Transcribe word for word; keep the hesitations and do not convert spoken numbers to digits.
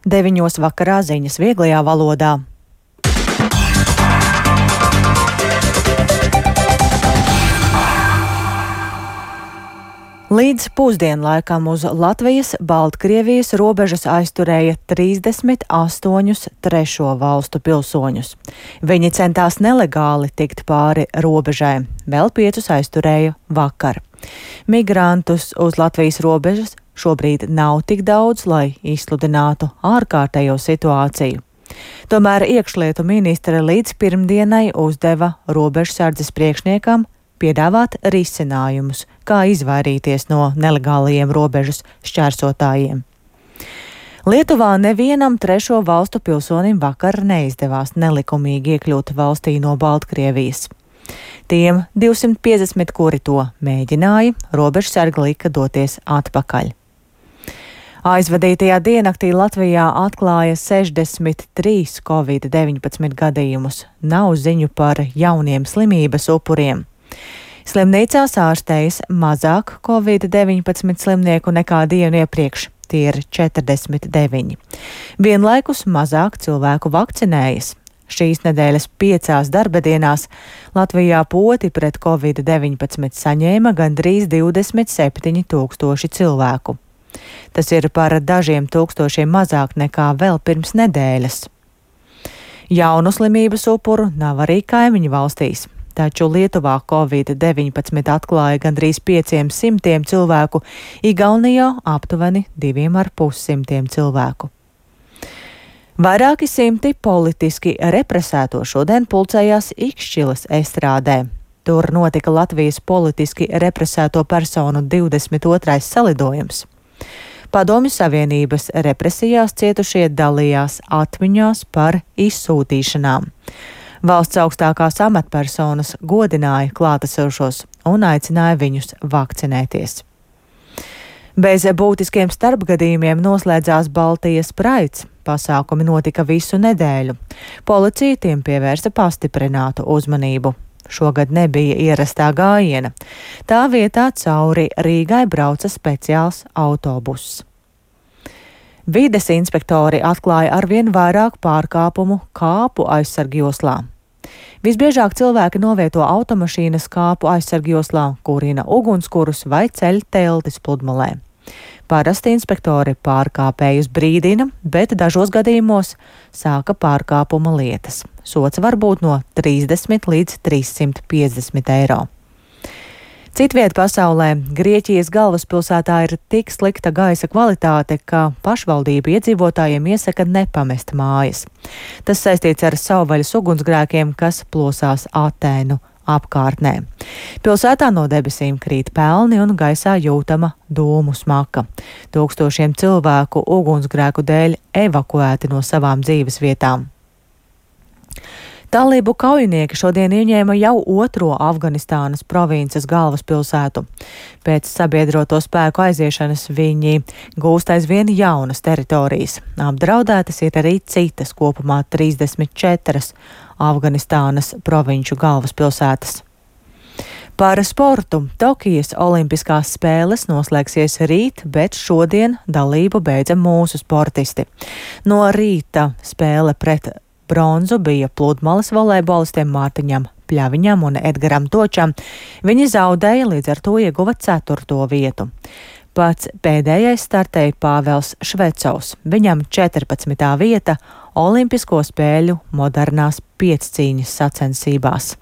Deviņos vakarā ziņas vieglajā valodā. Līdz pusdienlaikam uz Latvijas-Baltkrievijas robežas aizturēja trīsdesmit astoņus trešo valstu pilsoņus. Viņi centās nelegāli tikt pāri robežai, vēl piecus aizturēja vakar. Migrantus uz Latvijas robežas šobrīd nav tik daudz, lai izsludinātu ārkārtējo situāciju. Tomēr iekšlietu ministre līdz pirmdienai uzdeva robežsardzes priekšniekam piedāvāt risinājumus, kā izvairīties no nelegālajiem robežas šķērsotājiem. Lietuvā nevienam trešo valstu pilsonim vakar neizdevās nelikumīgi iekļūt valstī no Baltkrievijas. Tiem divsimt piecdesmit, kuri to mēģināja, robežsargi lika doties atpakaļ. Aizvadītajā diennaktī Latvijā atklāja sešdesmit trīs covid deviņpadsmit gadījumus. Nav ziņu par jauniem slimības upuriem. Slimnīcās ārstējas mazāk covid deviņpadsmit slimnieku nekā dienu iepriekš, tie ir četrdesmit deviņi. Vienlaikus mazāk cilvēku vakcinējas. Šīs nedēļas piecās darbadienās Latvijā poti pret covid deviņpadsmit saņēma gandrīz divdesmit septiņi tūkstoši cilvēku. Tas ir par dažiem tūkstošiem mazāk nekā vēl pirms nedēļas. Jaunu slimības upuru nav arī kaimiņu valstīs. Taču Lietuvā covid deviņpadsmit atklāja gandrīz pieciem simtiem cilvēku, Igaunijā aptuveni diviem ar pussimtiem cilvēku. Vairāki simti politiski represēto šodien pulcējās Ikšķilas estrādē. Tur notika Latvijas politiski represēto personu divdesmit otrais salidojums. Padomju Savienības represijās cietušie dalījās atmiņās par izsūtīšanām. Valsts augstākās amatpersonas godināja klātesošos un aicināja viņus vakcinēties. Bez būtiskiem starpgadījumiem noslēdzās Baltijas Praids. Pasākumi notika visu nedēļu. Policija tiem pievērsa pastiprinātu uzmanību. Šogad nebija ierastā gājiena. Tā vietā cauri Rīgai brauca speciāls autobuss. Vides inspektori atklāja arvien vairāk pārkāpumu kāpu aizsargjoslā. Visbiežāk cilvēki novieto automašīnas kāpu aizsargjoslā, kurina ugunskurus vai ceļ teltis pludmalē. Parasti inspektori pārkāpējus brīdina, bet dažos gadījumos sāka pārkāpuma lietas. Sots var būt no trīsdesmit līdz trīssimt piecdesmit eiro. Citviet pasaulē Grieķijas galvaspilsētā ir tik slikta gaisa kvalitāte, ka pašvaldība iedzīvotājiem iesaka nepamest mājas. Tas saistīts ar savvaļas ugunsgrēkiem, kas plosās Atēnu apkārtnē. Pilsētā no debesīm krīt pelni un gaisā jūtama dūmu smaka. Tūkstošiem cilvēku ugunsgrēku dēļ evakuēti no savām dzīves vietām. Talību kaujinieki šodien ieņēma jau otro Afganistānas provinces galvaspilsētu. Pēc sabiedroto spēku aiziešanas viņi gūst aizvien jaunas teritorijas. Apdraudētas ir arī citas, kopumā trīsdesmit četras Afganistānas provinču galvaspilsētas. Par sportu. Tokijas olimpiskās spēles noslēgsies rīt, bet šodien dalību beidza mūsu sportisti. No rīta spēle pret bronzu bija pludmales volejbolistiem Mārtiņam Pļaviņam un Edgaram Točam. Viņi zaudēja, līdz ar to ieguva ceturto vietu. Pats pēdējais startēja Pāvels Švecovs. Viņam četrpadsmitā vieta Olimpisko spēļu modernās piecīņas sacensībās.